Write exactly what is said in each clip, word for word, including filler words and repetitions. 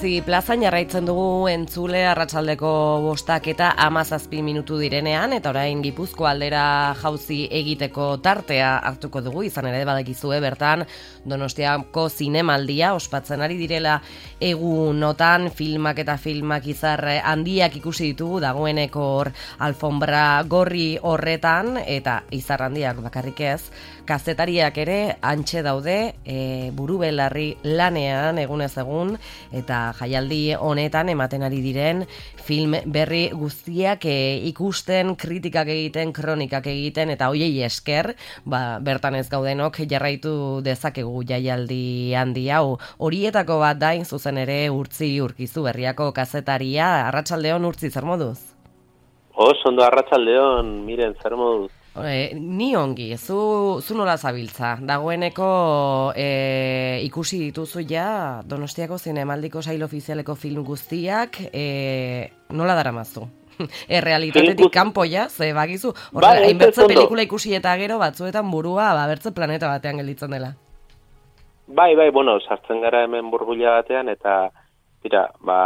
Jauzi plazan jarraitzen dugu entzule arratsaldeko bostak eta hamazazpi minutu direnean, eta orain Gipuzkoa aldera jauzi egiteko tartea hartuko dugu, izan ere badakizue bertan Donostiako zinemaldia ospatzen ari direla egunotan, filmak eta filmak izar handiak ikusi ditugu dagoeneko hor alfombra gorri horretan, eta izar handiak bakarrik ez, kazetariak ere antxe daude e, buru belarri lanean egunez egun, eta jaialdi honetan ematen ari diren film berri guztiak e, ikusten, kritikak egiten, kronikak egiten, eta hoiei esker, ba, bertan ez gaudenok jarraitu dezakegu jaialdi handi hau. Horietako bat dain zuzen ere Urtzi Urkizu Berriako kazetaria. Arratsaldeon Urtzi, zer moduz? Oso ondo, arratsaldeon, miren, zer moduz? E, ni ongi, zu, zu nola zabiltza? Dagoeneko e, ikusi dituzu ja Donostiako zinemaldiko sail ofizialeko film guztiak, e, nola daramazu? E, realitatetik kanpo ja, ze bagizu, horrela, bai, hainbertze pelikula ikusi eta gero batzuetan burua, ba, bertze planeta batean gelditzen dela. Bai, bai, bueno, sartzen gara hemen burbuila batean, eta, tira, ba,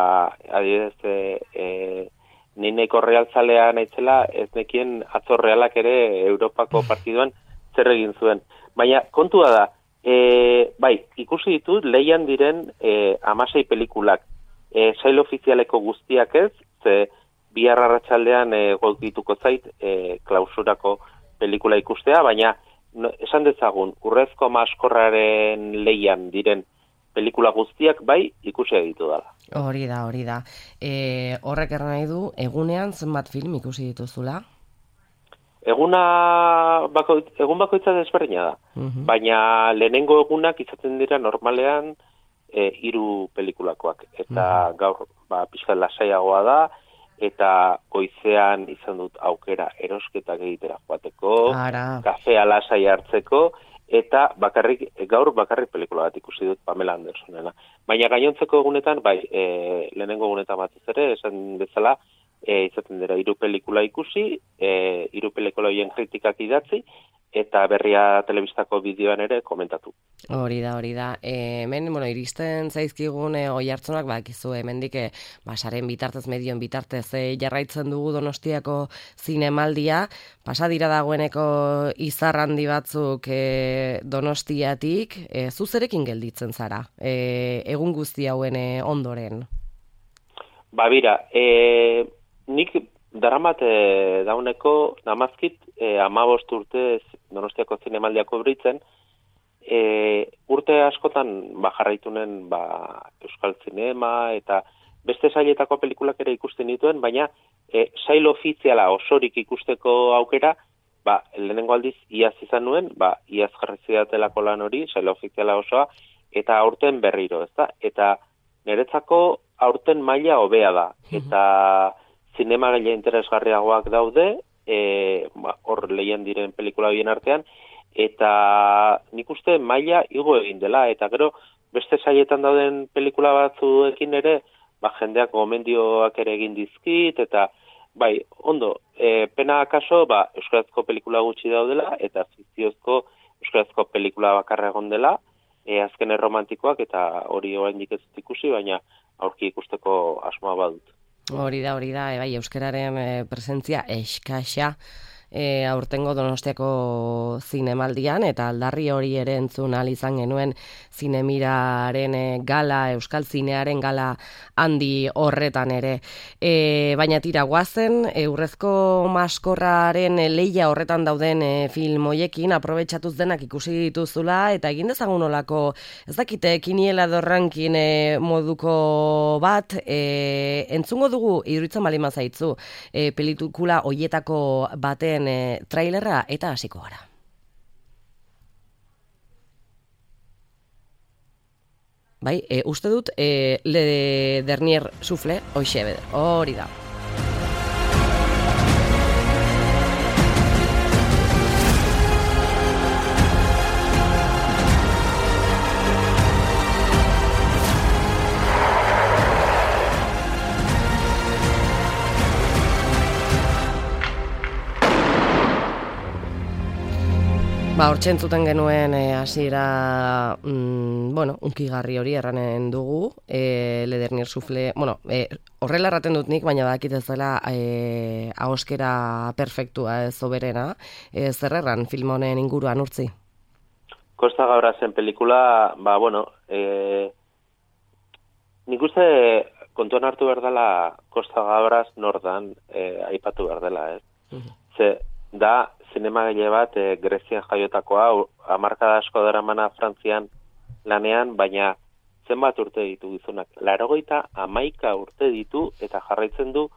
adibidez, e, e, ni nahiko realzalea naitzela, ez nekien atzo realak ere Europako partiduan zer egin zuen. Baina kontua da, e, bai, ikusi ditut leian diren e, amasei pelikulak. E, sail ofizialeko guztiak ez, ze bihar arratsaldean e, golkituko zait e, klausurako pelikula ikustea, baina no, esan dezagun, Urrezko Maskorraren leian diren pelikula guztiak bai ikusi ditu dela. Hori da, hori da. E, horrek erran nahi du, egunean zenbat film ikusi dituzula? Eguna bako, egun bakoitza desberdina da. Uh-huh. Baina lehenengo egunak izaten dira normalean e, hiru pelikulakoak. Eta uh-huh. gaur ba, pixka lasaiagoa da, eta goizean izan dut aukera erosketak egitera joateko, Ara. kafea lasai hartzeko, eta bakarrik, gaur bakarrik pelikula bat ikusi dut Pamela Andersonena. Baina gainontzeko egunetan, bai, e, lehenengo egunetan batez ere, esan bezala, e, izaten dira hiru pelikula ikusi, e, hiru pelikula horien kritikak idatzi, eta berria telebistako bideoan ere komentatu. Hori da, hori da. E, hemen, bueno, iristen zaizkigun e, oihartzunak, bakizu, hemendik e, basaren bitartez, medioen bitartez e, jarraitzen dugu Donostiako zinemaldia, pasa dira dagoeneko izar handi batzuk e, Donostiatik, e, zuzerekin gelditzen zara, e, egun guzti hauen e, ondoren? Ba, bira, e, nik daramat e, dauneko namazkit e, amabost urte Donostiako zinemaldiako britzen, e, urte askotan ba, jarraitunen ba, Euskal Zinema eta beste sailetako pelikulak ere ikusten dituen, baina e, sail ofiziala osorik ikusteko aukera, ba, lehenengo aldiz iaz izan nuen, ba, iaz jarri zidatelako lan hori, sail ofiziala osoa, eta aurten berriro, ezta? Eta niretzako aurten maila hobea da, eta zinema gaila interesgarriagoak daude, e, ba, hor lehian diren pelikula horien artean, eta nik uste maila igo egin dela, eta gero beste saietan dauden pelikula batzuekin ere, ba, jendeak gomendioak ere egin dizkit, eta bai, ondo, e, pena akaso, ba, euskarazko pelikula gutxi daudela, eta fikziozko euskarazko pelikula bakarra egon dela, e, azken erromantikoak, eta hori oraindik ez ikusi, baina aurki ikusteko asmoa badut. Hori da, hori da, e, bai, euskararen e, presentzia eskaxa e, aurtengo Donostiako zinemaldian, eta aldarri hori ere entzun ahal izan genuen zinemiraren e, gala, euskal zinearen gala handi horretan ere. E, baina tira, guazen, e, Urrezko Maskorraren e, leia horretan dauden e, film hoiekin, aprobetxatuz denak ikusi dituzula, eta egin dezagun olako, ez dakite, kiniela dorrankin e, moduko bat, e, entzungo dugu, iduritzen bali mazaitzu, e, pelikula hoietako baten e, trailerra eta hasiko gara. Bai, e, uste dut, e, Le Dernier Souffle, hoxe beder, hori da. Ba, hortxe entzuten genuen e, hasiera, mm, bueno, unkigarri hori erranen dugu, e, Ledernier sufle, bueno, e, horrela erraten dut nik, baina badakit ez dela e, ahoskera perfektua ez oberena, e, zer erran film honen inguruan urtzi? Costa Gabrazen pelikula, ba, bueno, e, nik uste kontuan hartu behar dela Costa Gabras nordan e, aipatu behar dela, ez? Uh-huh. Ze, da, zinemagile bat e, Grezian jaiotakoa, hamarkada asko daramana Frantzian lanean, baina zenbat urte ditu gizonak. Laurogeita hamaika urte ditu eta jarraitzen du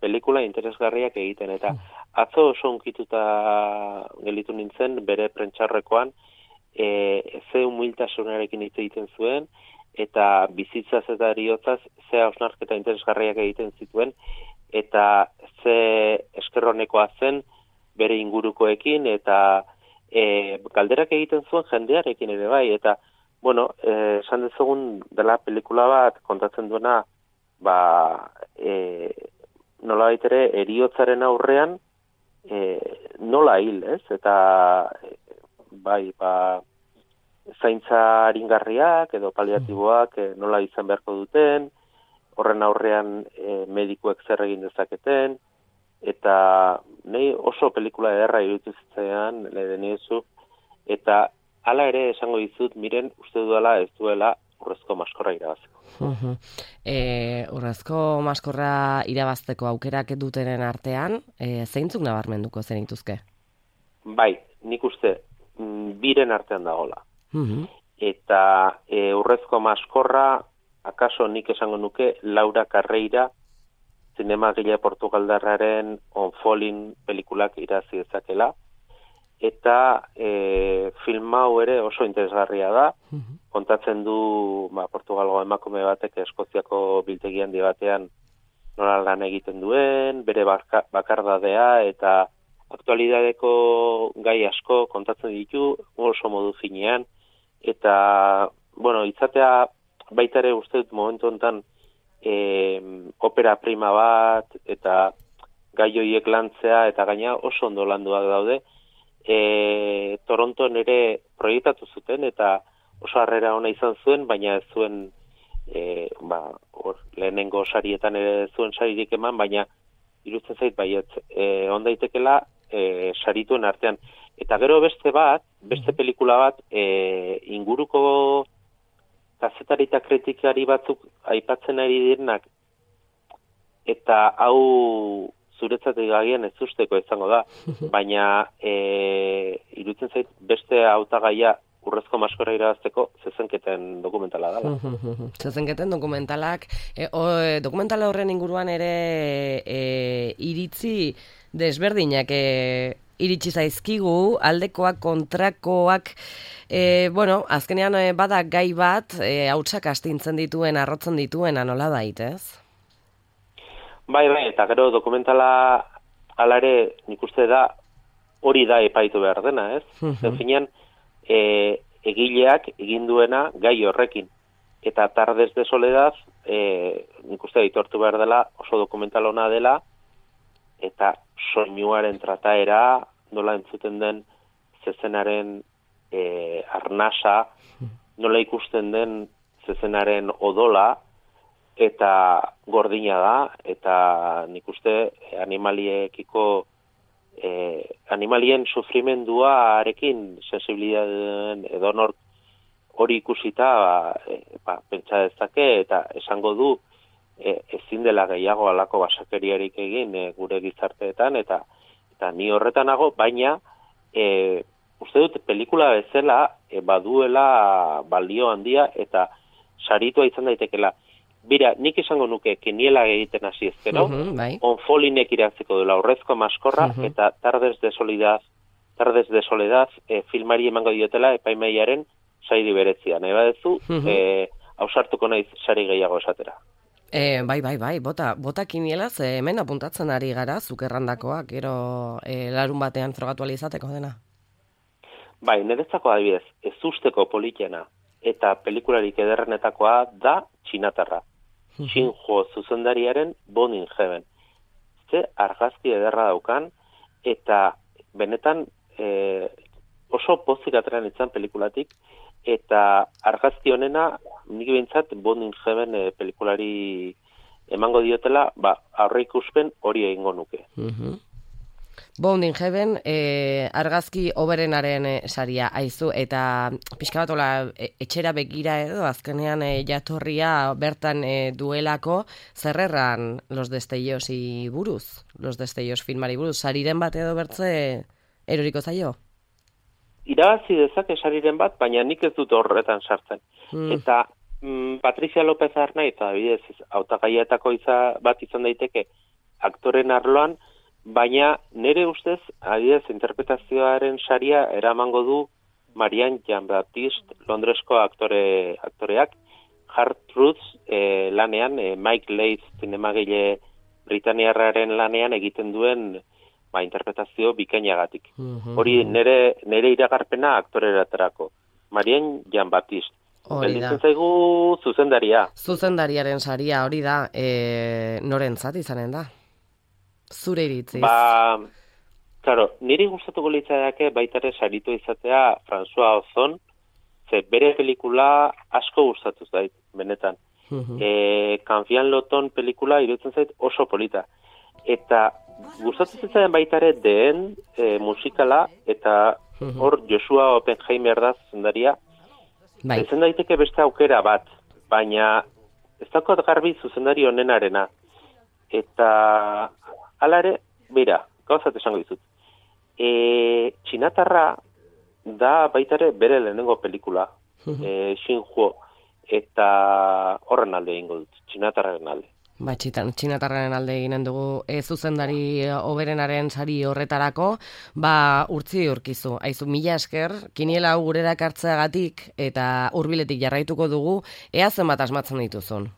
pelikula interesgarriak egiten. Eta atzo oso unkituta gelitu nintzen bere prentxarrekoan, e, ze humiltasunarekin hitz egiten zuen, eta bizitzaz eta eriotzaz ze hausnarketa interesgarriak egiten zituen, eta ze eskerronekoa zen bere ingurukoekin, eta e, galderak egiten zuen jendearekin ere bai, eta, bueno, e, esan dezagun dela pelikula bat kontatzen duena, ba, e, nola baitere, eriotzaren aurrean, e, nola hil, ez? Eta, e, bai, ba, zaintza aringarriak edo paliatiboak e, nola izan beharko duten, horren aurrean e, medikuek zer egin dezaketen, eta nahi oso pelikula ederra iruditu zitzaidan Ledeniezu, eta hala ere esango dizut, miren uste duela ez duela urrezko maskorra irabazteko. Uh-huh. E, urrezko maskorra irabazteko aukerak dutenen artean, e, zeintzuk nabarmenduko zenituzke? Bai, nik uste biren artean dagola. Uh-huh. Eta e, urrezko maskorra, akaso nik esango nuke Laura Carreira, zinemagile portugaldarraren On Falling pelikulak irazi dezakela, eta e, film hau ere oso interesgarria da, uh-huh. Kontatzen du ba, Portugalgo emakume batek Eskoziako biltegi handi batean nola lan egiten duen, bere barka, bakardadea, eta aktualidadeko gai asko kontatzen ditu, oso modu finean, eta, bueno, itzatea baita ere uste dut momentu honetan E, opera prima bat eta gai horiek lantzea eta gaina oso ondo landuak daude. E, Toronton ere proiektatu zuten eta oso harrera ona izan zuen, baina ez zuen e, ba, or, lehenengo sarietan ere zuen saririk eman, baina iruditzen zait baiet e, on daitekela e, sarituen artean. Eta gero beste bat, beste pelikula bat e, inguruko kazetari eta kritikari batzuk aipatzen ari direnak, eta hau zuretzatik agian ez usteko izango da, baina e, iruditzen zait beste hautagaia urrezko maskorra irabazteko zezenketen dokumentala dela. Zezenketen dokumentalak, e, o, dokumentala horren inguruan ere e, iritzi desberdinak e, iritsi zaizkigu, aldekoak, kontrakoak, e, bueno, azkenean e, bada gai bat, e, hautsak astintzen dituen, arrotzen dituen, anola dait, ez? Bai, bai, eta gero dokumentala alare nik uste da hori da epaitu behar dena, ez? Zen finean, e, egileak egin duena gai horrekin. Eta Tardes de Soledad, e, nik uste aitortu behar dela, oso dokumental ona dela, eta soinuaren trataera, nola entzuten den zezenaren e, arnasa, nola ikusten den zezenaren odola, eta gordina da, eta nik uste animaliekiko, e, animalien sufrimenduarekin sensibilitateen edonor hori ikusita ba, e, ba, pentsa dezake, eta esango du, E, ezin dela gehiago alako basakeriarik egin e, gure gizarteetan, eta eta ni horretanago, baina e, uste dut pelikula bezala e, baduela balio handia eta saritua izan daitekela. Bira, nik esango nuke kiniela egiten hasi ezkero, uh-huh, bai. On Falling-ek iratzeko dela urrezko maskorra, uh-huh. Eta Tardes de Soledad, Tardes de Soledad e, filmari emango diotela epaimaiaren sairi beretzia. Nahi badezu, uh-huh. e, ausartuko naiz sari gehiago esatera. E, bai, bai, bai, bota, bota kinielaz, e, hemen apuntatzen ari gara, zuk errandakoak, gero e, larun batean frogatu izateko dena. Bai, niretzako adibidez, ez usteko politena eta pelikularik ederrenetakoa da Txinatarra. Shinjo zuzendariaren Born in Heaven. Ze argazki ederra daukan, eta benetan e, oso pozik atrean itzan pelikulatik, eta argazki honena, nik behintzat, Bond in Heaven e, pelikulari emango diotela, ba, aurreikuspen hori egingo nuke. Mhm. Bond in Heaven, e, argazki oberenaren e, saria aizu, eta pixka bat ola, e, etxera begira edo, azkenean e, jatorria bertan e, duelako, zerrerran Los Destellosi buruz, Los Destellos filmari buruz, sariren bat edo bertze eroriko zaio? Irabazi dezake sariren bat, baina nik ez dut horretan sartzen. Mm. Eta mm, Patricia López Arnaiz, adibidez, hautagaietako iza bat izan daiteke aktoren arloan, baina nire ustez, adibidez, interpretazioaren saria eramango du Marianne Jean-Baptiste, Londresko aktore, aktoreak, Hard Truths eh, lanean, eh, Mike Leigh zinemagile Britaniarraren lanean egiten duen ba, interpretazio bikainagatik. Mhm. Hori nire, nire iragarpena aktoreratarako. Marianne Jean-Baptiste. Gelditzen zaigu zuzendaria. Zuzendariaren saria hori da, e, norentzat izanen da? Zure iritziz. Ba, claro, niri gustatuko litzateke baita ere saritu izatea François Ozon, ze bere pelikula asko gustatu zait, benetan. Mhm. E, Kanfian Loton pelikula iruditzen zait oso polita. Eta gustatu zitzaidan baita ere deen e, musikala, eta hor Joshua Oppenheimer da zuzendaria. Bai. Ezen daiteke beste aukera bat, baina ez dakot garbi zuzendari honenarena. Eta hala ere, bera, gauzat esango dizut. E, Txinatarra da baita ere bere lehenengo pelikula, e, Xinhuo, eta horren alde egingo dut, Txinatarraren alde. Ba, txitan, txinatarraren alde eginen dugu e, zuzendari oberenaren sari horretarako, ba, urtzi urkizu. Aizu, mila esker, kiniela hau gurera kartzeagatik eta hurbiletik jarraituko dugu, ea zenbat asmatzen dituzun.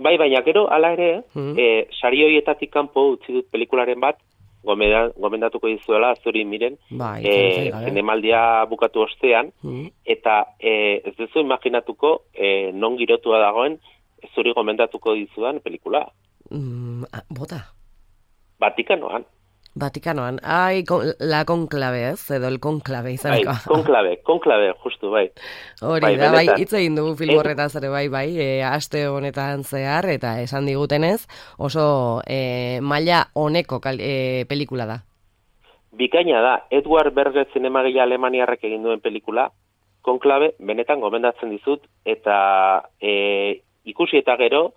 Bai, baina gero, ala ere, Mm. e, sari horietatik kanpo utzi dut pelikularen bat, gomenda, gomendatuko dizuela, zuri miren, Bai, e, zinemaldia bukatu ostean, Mm. eta e, ez duzu imaginatuko e, non girotua dagoen, zuri gomendatuko dizudan pelikula. Mm, ah, bota. Vatikanoan. Vatikanoan. Ai, con, la conclave, ez? Edo el conclave Bai, izaneko. konklabe, konklabe, justu, bai. Hori Bai, da, bai, benetan. hitz egin dugu film horretaz ere, bai, bai, e, aste honetan zehar, eta esan digutenez, oso e, maila honeko kal, e, pelikula da. Bikaina da, Edward Berger zinemagile alemaniarrek egin duen pelikula, konklabe, benetan gomendatzen dizut, eta e, ikusi eta gero,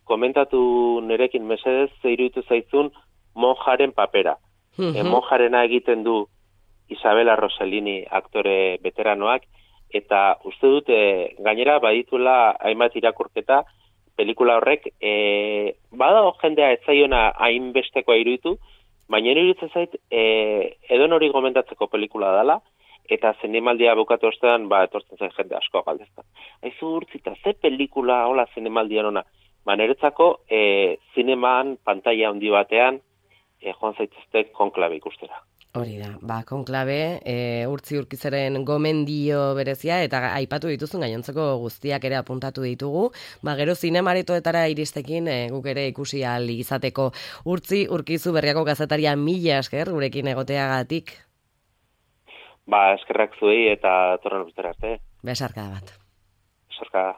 komentatu nerekin mesedez, ze iruditu zaizun monjaren papera. E, monjarena egiten du Isabela Rossellini aktore veteranoak, eta uste dut e, gainera badituela hainbat irakurketa pelikula horrek, e, badago jendea ez zaiona hainbestekoa iruditu, baina iruditzen zait e, edon hori gomendatzeko pelikula dela, eta zinemaldia bukatu ostean, ba, etortzen zen jende asko galdeztan. Aizu urtzita, ze pelikula hola zinemaldian ona? Ba, niretzako e, zinemaan pantalla handi batean e, joan zaitezte konklabe ikustera. Hori da, ba, konklabe, e, urtzi urkizaren gomendio berezia, eta aipatu dituzun gainontzeko guztiak ere apuntatu ditugu, ba, gero zinemaretoetara iristekin e, guk ere ikusi ahal izateko. Urtzi urkizu Berriako kazetaria mila esker gurekin egoteagatik. Ba, eskerrak zuei eta torren ustera arte. Besarkada bat. Besarkada.